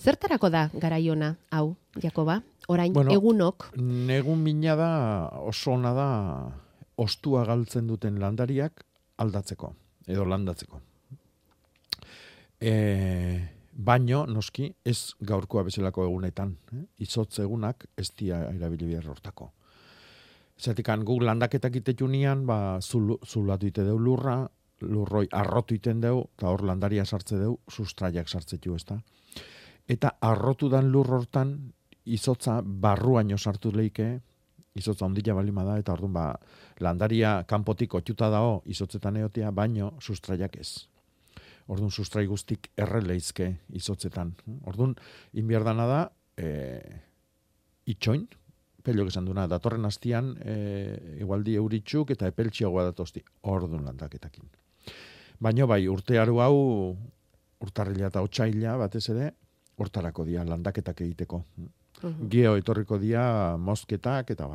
Zertarako da garaiona, hau, Jakoba? Orain, egunok? Negun mina da, oso ona da, ostua galtzen duten landariak aldatzeko, edo landatzeko. Baino, noski, ez gaurkoa bezalako egunetan. Izotz egunak ez dia erabili behar hortako. Zertikan, guk landaketak itetunian, zulatu ite deu lurroi arrotu iten deu, eta hor landaria sartze deu, sustraiak sartzetu ez da. Eta arrotu dan lur hortan, izotza barruaino sartu leike, izotza ondila balima da, eta orduan landaria kanpotik otxuta dao izotzetan eotea, baino sustraiak ez. Orduan sustrai guztik erreleizke izotzetan. Orduan, inbierdana da, itxoin, pelok esan duna, datorren hastian, igualdi euritxuk eta epeltxiagoa datosti, orduan landaketakin. Baina bai, urtearu hau, urtarrila eta otsaila batez ere, hortarako dia landaketak egiteko. Geo etorriko dia mozketak eta bar.